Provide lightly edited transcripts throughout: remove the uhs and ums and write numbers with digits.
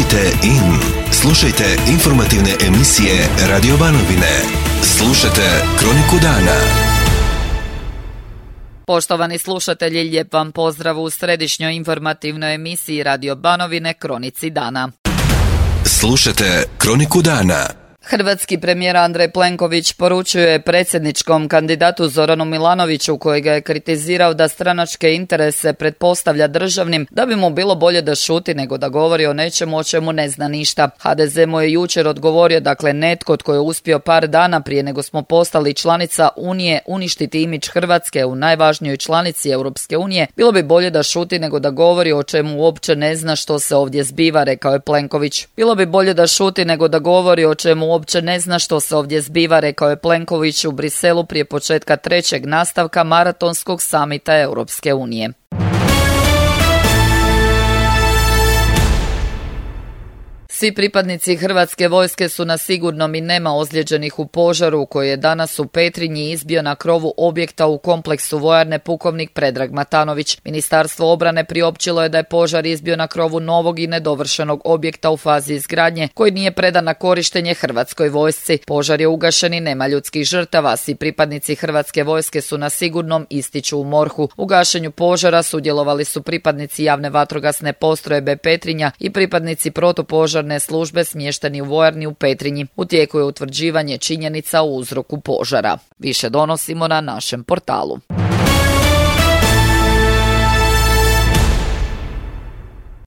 Kliknite in. Slušajte informativne emisije Radio Banovine. Slušajte Kroniku dana. Poštovani slušatelji, lijep vam pozdrav u središnjoj informativnoj emisiji Radio Banovine Kronici dana. Slušajte Kroniku dana. Hrvatski premijer Andrej Plenković poručuje predsjedničkom kandidatu Zoranu Milanoviću, koji ga je kritizirao da stranačke interese pretpostavlja državnim, da bi mu bilo bolje da šuti nego da govori o nečemu o čemu ne zna ništa. HDZ mu je jučer odgovorio, dakle netko tko je uspio par dana prije nego smo postali članica Unije uništiti imidž Hrvatske u najvažnijoj članici Europske unije, bilo bi bolje da šuti nego da govori o čemu uopće ne zna što se ovdje zbiva, rekao je Plenković. Bilo bi bolje da šuti nego da govori o čemu uopće ne zna što se ovdje zbiva, rekao je Plenković u Briselu prije početka trećeg nastavka maratonskog samita Europske unije. Svi pripadnici Hrvatske vojske su na sigurnom i nema ozlijeđenih u požaru koji je danas u Petrinji izbio na krovu objekta u kompleksu vojarne pukovnik Predrag Matanović. Ministarstvo obrane priopćilo je da je požar izbio na krovu novog i nedovršenog objekta u fazi izgradnje koji nije predan na korištenje Hrvatskoj vojsci. Požar je ugašen i nema ljudskih žrtava. Svi pripadnici Hrvatske vojske su na sigurnom, ističu u MORH-u. U gašenju požara sudjelovali su pripadnici javne vatrogasne postrojbe Petrinja i pripadnici protupožarne službe smješteni u vojarni u Petrinji. U tijeku je utvrđivanje činjenica o uzroku požara. Više donosimo na našem portalu.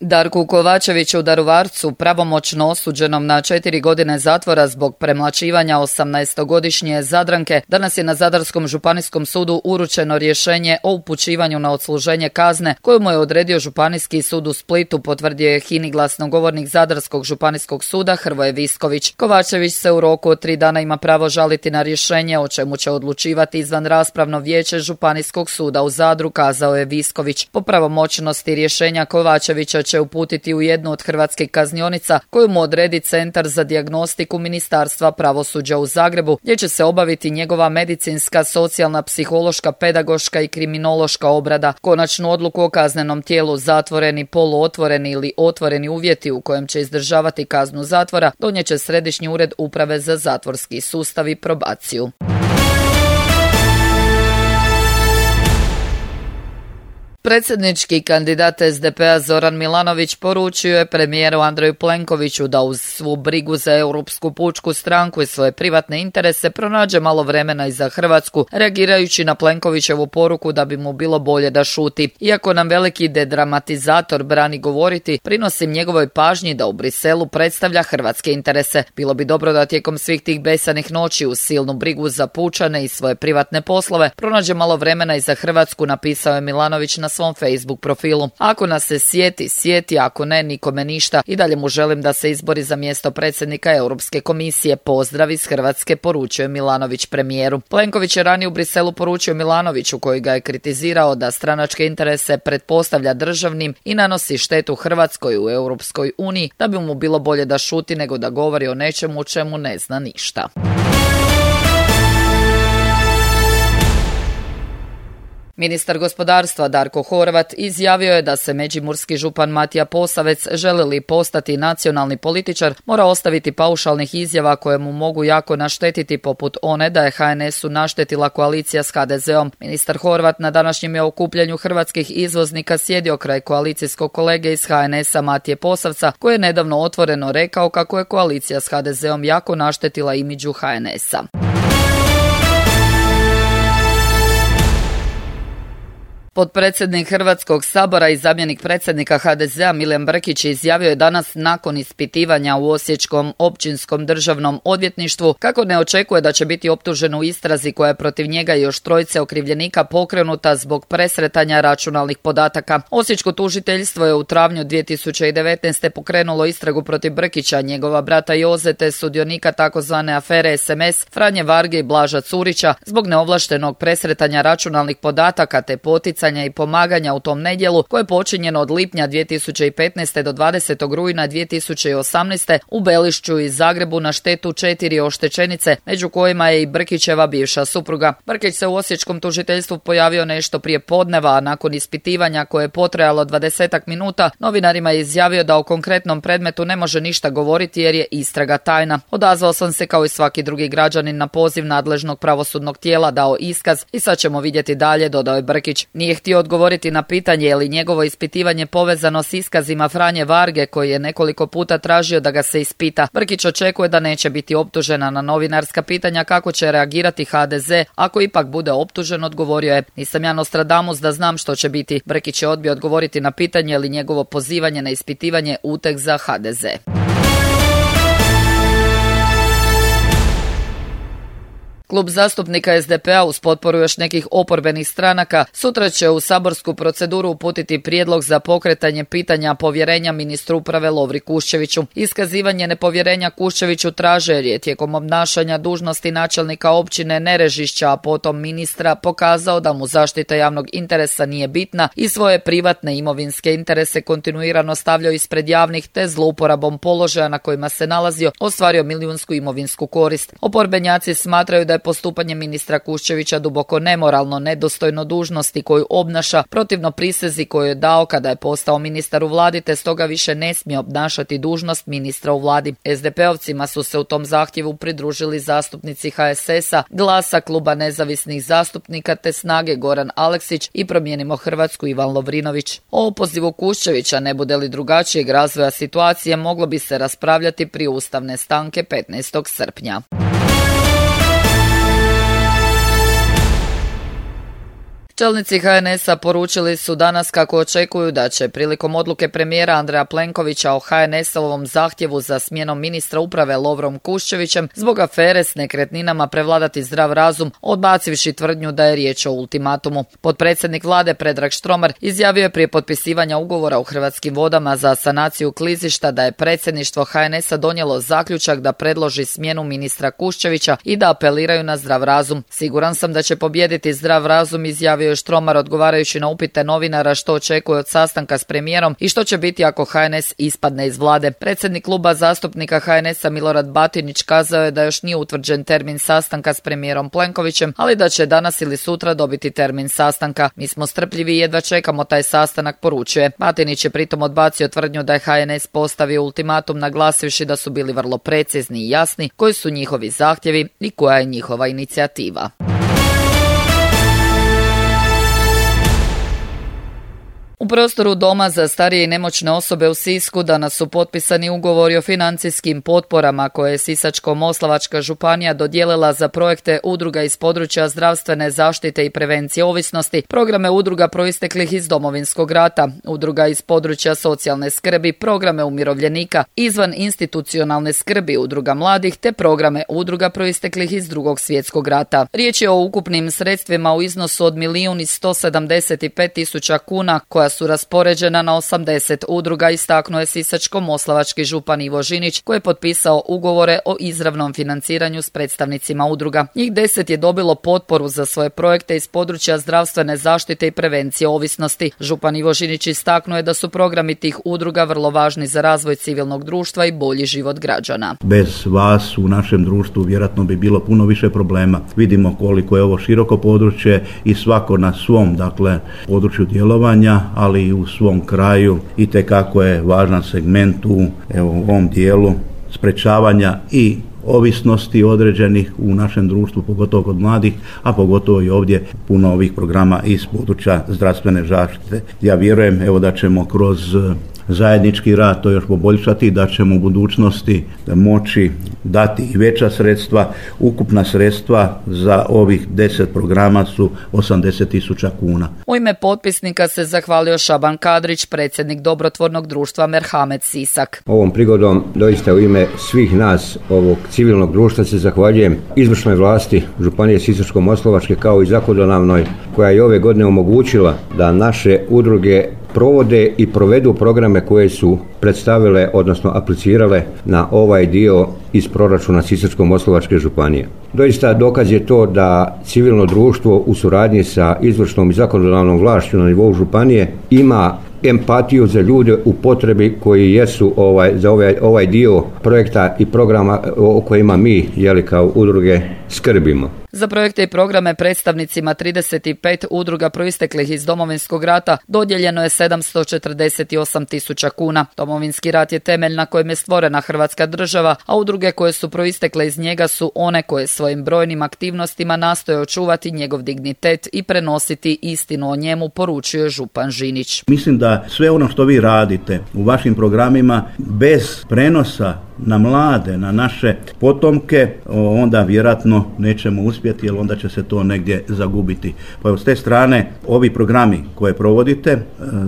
Darku Kovačeviću Daruvarcu, pravomoćno osuđenom na 4 godine zatvora zbog premlaćivanja 18-godišnje Zadranke, danas je na Zadarskom županijskom sudu uručeno rješenje o upućivanju na odsluženje kazne koju mu je odredio Županijski sud u Splitu, potvrdio je HINA-i glasnogovornik Zadarskog županijskog suda Hrvoje Visković. Kovačević se u roku od 3 dana ima pravo žaliti na rješenje, o čemu će odlučivati izvanraspravno vijeće Županijskog suda u Zadru, kazao je Visković. Po pravomoćnosti rješenja Kovačevića će uputiti u jednu od hrvatskih kaznionica koju mu odredi Centar za dijagnostiku Ministarstva pravosuđa u Zagrebu, gdje će se obaviti njegova medicinska, socijalna, psihološka, pedagoška i kriminološka obrada. Konačnu odluku o kaznenom tijelu, zatvoreni, poluotvoreni ili otvoreni uvjeti u kojem će izdržavati kaznu zatvora, donijet će Središnji ured Uprave za zatvorski sustav i probaciju. Predsjednički kandidat SDP-a Zoran Milanović poručio je premijeru Andreju Plenkoviću da uz svu brigu za Europsku pučku stranku i svoje privatne interese pronađe malo vremena i za Hrvatsku, reagirajući na Plenkovićevu poruku da bi mu bilo bolje da šuti. Iako nam veliki dedramatizator brani govoriti, prinosim njegovoj pažnji da u Briselu predstavlja hrvatske interese. Bilo bi dobro da tijekom svih tih besanih noći uz silnu brigu za pučane i svoje privatne poslove pronađe malo vremena i za Hrvatsku, napisao je Milanović na svom Facebook profilu. Ako nas se sjeti, ako ne, nikome ništa. I dalje mu želim da se izbori za mjesto predsjednika Europske komisije. Pozdrav iz Hrvatske, poručuje Milanović premijeru. Plenković je ranije u Briselu poručio Milanoviću, koji ga je kritizirao da stranačke interese pretpostavlja državnim i nanosi štetu Hrvatskoj u Europskoj uniji, da bi mu bilo bolje da šuti nego da govori o nečemu o čemu ne zna ništa. Ministar gospodarstva Darko Horvat izjavio je da se međimurski župan Matija Posavec, želi li postati nacionalni političar, mora ostaviti paušalnih izjava koje mu mogu jako naštetiti, poput one da je HNS-u naštetila koalicija s HDZ-om. Ministar Horvat na današnjem je okupljanju hrvatskih izvoznika sjedio kraj koalicijskog kolege iz HNS-a Matije Posavca, koji je nedavno otvoreno rekao kako je koalicija s HDZ-om jako naštetila imidžu HNS-a. Potpredsjednik Hrvatskog sabora i zamjenik predsjednika HDZ-a Milijan Brkić izjavio je danas nakon ispitivanja u Osječkom općinskom državnom odvjetništvu kako ne očekuje da će biti optužen u istrazi koja je protiv njega i još 3 okrivljenika pokrenuta zbog presretanja računalnih podataka. Osječko tužiteljstvo je u travnju 2019. pokrenulo istragu protiv Brkića, njegova brata Joze te sudionika takozvane afere SMS Franje Varge i Blaža Curića zbog neovlaštenog presretanja računalnih podataka te poticanja pokretanja i pomaganja u tom nedjelu koje je počinjeno od lipnja 2015. do 20. rujna 2018. u Belišću i Zagrebu na štetu 4 oštećenice, među kojima je i Brkićeva bivša supruga. Brkić se u osječkom tužiteljstvu pojavio nešto prije podneva, a nakon ispitivanja koje je potrajalo 20 minuta, novinarima je izjavio da o konkretnom predmetu ne može ništa govoriti jer je istraga tajna. Odazvao sam se kao i svaki drugi građanin na poziv nadležnog pravosudnog tijela, dao iskaz i sad ćemo vidjeti dalje, dodao je Brkić. Nije htio odgovoriti na pitanje je li njegovo ispitivanje povezano s iskazima Franje Varge, koji je nekoliko puta tražio da ga se ispita. Brkić očekuje da neće biti optužena. Na novinarska pitanja kako će reagirati HDZ ako ipak bude optužen, odgovorio je: nisam ja Nostradamus da znam što će biti. Brkić je odbio odgovoriti na pitanje je li njegovo pozivanje na ispitivanje uteg za HDZ. Klub zastupnika SDP-a uz potporu još nekih oporbenih stranaka sutra će u saborsku proceduru uputiti prijedlog za pokretanje pitanja povjerenja ministru uprave Lovri Kuščeviću. Iskazivanje nepovjerenja Kuščeviću traže jer je tijekom obnašanja dužnosti načelnika općine Nerežišća, a potom ministra, pokazao da mu zaštita javnog interesa nije bitna i svoje privatne imovinske interese kontinuirano stavljao ispred javnih, te zlouporabom položaja na kojima se nalazio ostvario milijunsku imovinsku korist. Oporbenjaci smatraju da je postupanje ministra Kuščevića duboko nemoralno, nedostojno dužnosti koju obnaša, protivno prisezi koju je dao kada je postao ministar u vladi, te stoga više ne smije obnašati dužnost ministra u vladi. SDP-ovcima su se u tom zahtjevu pridružili zastupnici HSS-a, Glasa, Kluba nezavisnih zastupnika te Snage Goran Aleksić i Promijenimo Hrvatsku Ivan Lovrinović. O opozivu Kuščevića, ne bude li drugačijeg razvoja situacije, moglo bi se raspravljati prije ustavne stanke 15. srpnja. Čelnici HNS-a poručili su danas kako očekuju da će prilikom odluke premijera Andreja Plenkovića o HNS-ovom zahtjevu za smjenom ministra uprave Lovrom Kuščevićem zbog afere s nekretninama prevladati zdrav razum, odbacivši tvrdnju da je riječ o ultimatumu. Potpredsjednik vlade Predrag Štromar izjavio je prije potpisivanja ugovora u Hrvatskim vodama za sanaciju klizišta da je predsjedništvo HNS-a donijelo zaključak da predloži smjenu ministra Kuščevića i da apeliraju na zdrav razum. Siguran sam da će pobijediti zdrav razum, izjavio je Štromar odgovarajući na upite novinara što očekuje od sastanka s premijerom i što će biti ako HNS ispadne iz vlade. Predsjednik kluba zastupnika HNS-a Milorad Batinić kazao je da još nije utvrđen termin sastanka s premijerom Plenkovićem, ali da će danas ili sutra dobiti termin sastanka. Mi smo strpljivi i jedva čekamo taj sastanak, poručuje. Batinić je pritom odbacio tvrdnju da je HNS postavio ultimatum, naglasivši da su bili vrlo precizni i jasni koji su njihovi zahtjevi i koja je njihova inicijativa. U prostoru Doma za starije i nemoćne osobe u Sisku danas su potpisani ugovori o financijskim potporama koje je Sisačko-moslavačka županija dodijelila za projekte udruga iz područja zdravstvene zaštite i prevencije ovisnosti, programe udruga proisteklih iz Domovinskog rata, udruga iz područja socijalne skrbi, programe umirovljenika, izvan institucionalne skrbi udruga mladih te programe udruga proisteklih iz Drugog svjetskog rata. Riječ je o ukupnim sredstvima u iznosu od 1.175.000 kuna koja su raspoređena na 80 udruga, istaknuo je Sisačko-moslavački župan Ivo Žinić koji je potpisao ugovore o izravnom financiranju s predstavnicima udruga. Njih 10 je dobilo potporu za svoje projekte iz područja zdravstvene zaštite i prevencije ovisnosti. Župan Ivo Žinić istaknuo je da su programi tih udruga vrlo važni za razvoj civilnog društva i bolji život građana. Bez vas u našem društvu vjerojatno bi bilo puno više problema. Vidimo koliko je ovo široko područje i svako na svom području djelovanja, ali i u svom kraju itekako je važan segment u ovom dijelu sprečavanja i ovisnosti određenih u našem društvu, pogotovo kod mladih, a pogotovo i ovdje puno ovih programa iz područja zdravstvene zaštite. Ja vjerujem da ćemo kroz zajednički rad to još poboljšati, da ćemo u budućnosti moći dati i veća sredstva. Ukupna sredstva za ovih 10 programa su 80.000 kuna. U ime potpisnika se zahvalio Šaban Kadrić, predsjednik dobrotvornog društva Merhamet Sisak. Ovom prigodom doista u ime svih nas ovog civilnog društva se zahvaljujem izvršnoj vlasti Županije Sisačko-moslavačke kao i zakonodavnoj koja je ove godine omogućila da naše udruge provode i provedu programe koje su predstavile, odnosno aplicirale na ovaj dio iz proračuna Sisačko-moslavačke županije. Doista dokaz je to da civilno društvo u suradnji sa izvršnom i zakonodavnom vlašću na nivou županije ima empatiju za ljude u potrebi koji jesu za ovaj dio projekta i programa o kojima mi kao udruge skrbimo. Za projekte i programe predstavnicima 35 udruga proisteklih iz Domovinskog rata dodijeljeno je 748.000 kuna. Domovinski rat je temelj na kojem je stvorena Hrvatska država, a udruge koje su proistekle iz njega su one koje svojim brojnim aktivnostima nastoje očuvati njegov dignitet i prenositi istinu o njemu, poručuje župan Žinić. Mislim da sve ono što vi radite u vašim programima bez prenosa na mlade, na naše potomke, onda vjerojatno nećemo uspjeti, jer onda će se to negdje zagubiti. Pa s te strane ovi programi koje provodite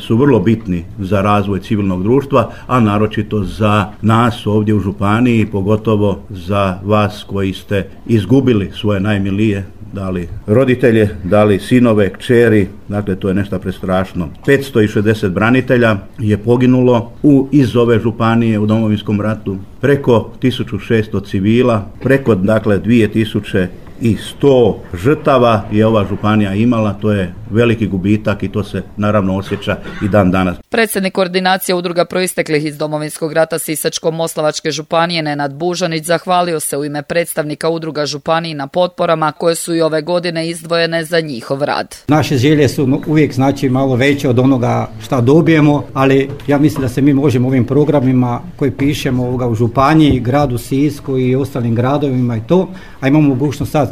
su vrlo bitni za razvoj civilnog društva, a naročito za nas ovdje u županiji, pogotovo za vas koji ste izgubili svoje najmilije, da li roditelje, da li sinove, kćeri, dakle to je nešto prestrašno. 560 branitelja je poginulo iz ove županije u Domovinskom ratu, preko 1600 civila, preko 2100 žrtava je ova županija imala, to je veliki gubitak i to se naravno osjeća i dan danas. Predsjednik koordinacije udruga proisteklih iz Domovinskog rata Sisačko-moslavačke županije Nenad Bužanić zahvalio se u ime predstavnika udruga županiji na potporama koje su i ove godine izdvojene za njihov rad. Naše želje su uvijek malo veće od onoga šta dobijemo, ali ja mislim da se mi možemo ovim programima koji pišemo u županiji, gradu Sisku i ostalim gradovima i to, a imamo mogućnost sad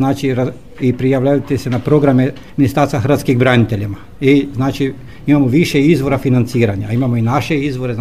i prijavljavati se na programe Ministarstva hrvatskih braniteljima. I imamo više izvora financiranja, imamo i naše izvore,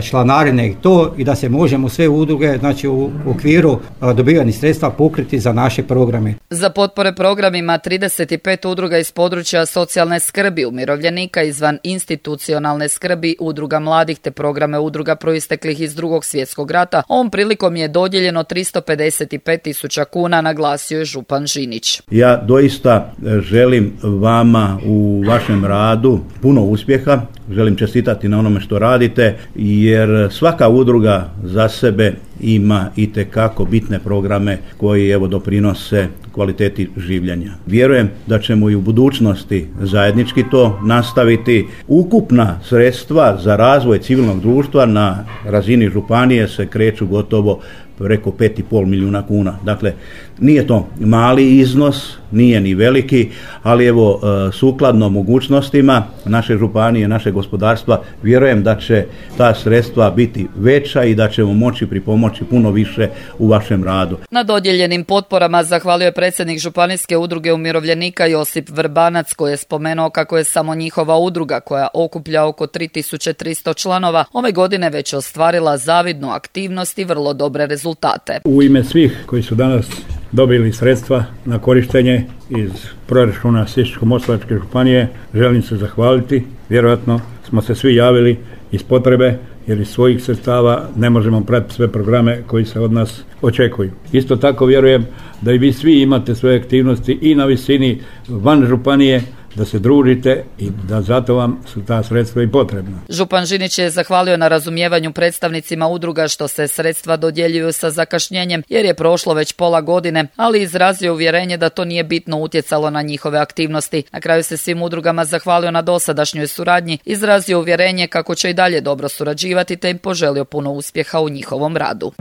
članarine i to, i da se možemo sve udruge u okviru dobivanih sredstva pokriti za naše programe. Za potpore programima 35 udruga iz područja socijalne skrbi, umirovljenika izvan institucionalne skrbi, udruga mladih te programe udruga proisteklih iz Drugog svjetskog rata, ovom prilikom je dodijeljeno 355.000 kuna, naglasio je župan Žinić. Ja doista želim vama u vašem radu puno uspjeha, želim čestitati na onome što radite, jer svaka udruga za sebe ima itekako bitne programe koji doprinose kvaliteti življenja. Vjerujem da ćemo i u budućnosti zajednički to nastaviti. Ukupna sredstva za razvoj civilnog društva na razini županije se kreću gotovo preko 5,5 milijuna kuna. Dakle, nije to mali iznos, nije ni veliki, ali sukladno mogućnostima naše županije, naše gospodarstva, vjerujem da će ta sredstva biti veća i da ćemo moći pripomoći puno više u vašem radu. Na dodijeljenim potporama zahvalio je predsjednik Županijske udruge umirovljenika Josip Vrbanac, koji je spomenuo kako je samo njihova udruga, koja okuplja oko 3300 članova, ove godine već ostvarila zavidnu aktivnost i vrlo dobre rezultate. U ime svih koji su danas dobili sredstva na korištenje iz proračuna Sisačko-moslavačke županije, želim se zahvaliti. Vjerojatno smo se svi javili iz potrebe, jer iz svojih sredstava ne možemo pratiti sve programe koji se od nas očekuju. Isto tako vjerujem da i vi svi imate svoje aktivnosti i na visini van županije, da se družite i da zato vam su ta sredstva i potrebna. Župan Žinić je zahvalio na razumijevanju predstavnicima udruga što se sredstva dodjeljuju sa zakašnjenjem, jer je prošlo već pola godine, ali izrazio uvjerenje da to nije bitno utjecalo na njihove aktivnosti. Na kraju se svim udrugama zahvalio na dosadašnjoj suradnji, izrazio uvjerenje kako će i dalje dobro surađivati te im poželio puno uspjeha u njihovom radu.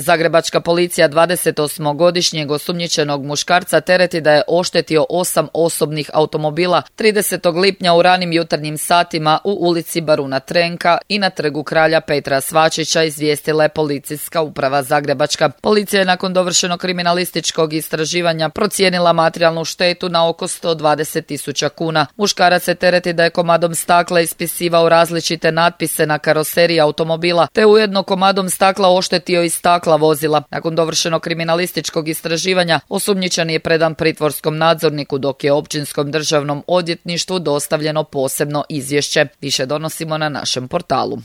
Zagrebačka policija 28-godišnjeg osumnjičenog muškarca tereti da je oštetio 8 osobnih automobila 30. lipnja u ranim jutarnjim satima u ulici Baruna Trenka i na trgu Kralja Petra Svačića, izvijestila je policijska uprava Zagrebačka. Policija je nakon dovršenog kriminalističkog istraživanja procijenila materijalnu štetu na oko 120.000 kuna. Muškarac se tereti da je komadom stakla ispisivao različite natpise na karoseriji automobila, te ujedno komadom stakla oštetio i stakla vozila. Nakon dovršenog kriminalističkog istraživanja osumnjičeni je predan pritvorskom nadzorniku, dok je Općinskom državnom odvjetništvu dostavljeno posebno izvješće. Više donosimo na našem portalu.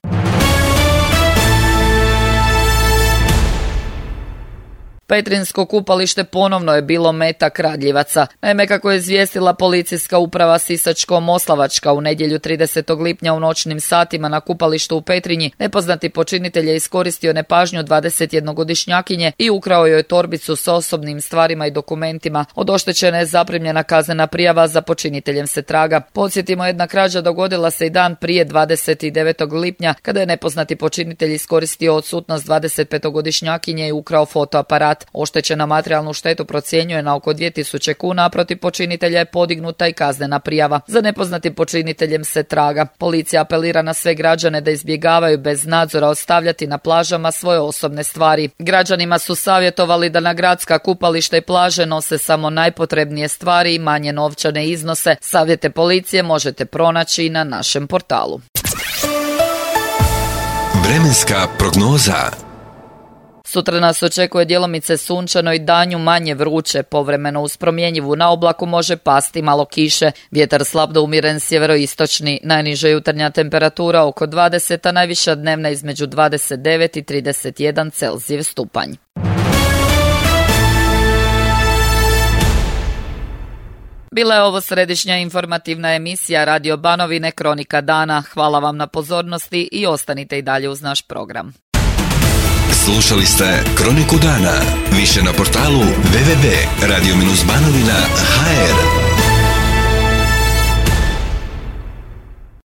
Petrinjsko kupalište ponovno je bilo meta kradljivaca. Naime, kako je izvijestila policijska uprava Sisačko-Moslavačka u nedjelju 30. lipnja u noćnim satima na kupalištu u Petrinji, nepoznati počinitelj je iskoristio nepažnju 21-godišnjakinje i ukrao joj torbicu s osobnim stvarima i dokumentima. Od oštećene je zaprimljena kaznena prijava, za počiniteljem se traga. Podsjetimo, jedna krađa dogodila se i dan prije 29. lipnja kada je nepoznati počinitelj iskoristio odsutnost 25-godišnjakinje i ukrao fotoaparat. Oštećena materijalnu štetu procjenjuje na oko 2000 kuna, a protiv počinitelja je podignuta i kaznena prijava. Za nepoznatim počiniteljem se traga. Policija apelira na sve građane da izbjegavaju bez nadzora ostavljati na plažama svoje osobne stvari. Građanima su savjetovali da na gradska kupališta i plaže nose samo najpotrebnije stvari i manje novčane iznose. Savjete policije možete pronaći na našem portalu. Vremenska prognoza. Sutra nas očekuje djelomice sunčano i danju manje vruće, povremeno uz promjenjivu na oblaku može pasti malo kiše. Vjetar slab do umjeren sjeveroistočni, najniža jutarnja temperatura oko 20, a najviša dnevna između 29 i 31 Celzijev stupanj. Bila je ovo središnja informativna emisija Radio Banovine Kronika dana. Hvala vam na pozornosti i ostanite i dalje uz naš program. Slušali ste Kroniku dana. Više na portalu www.radio-banovina.hr.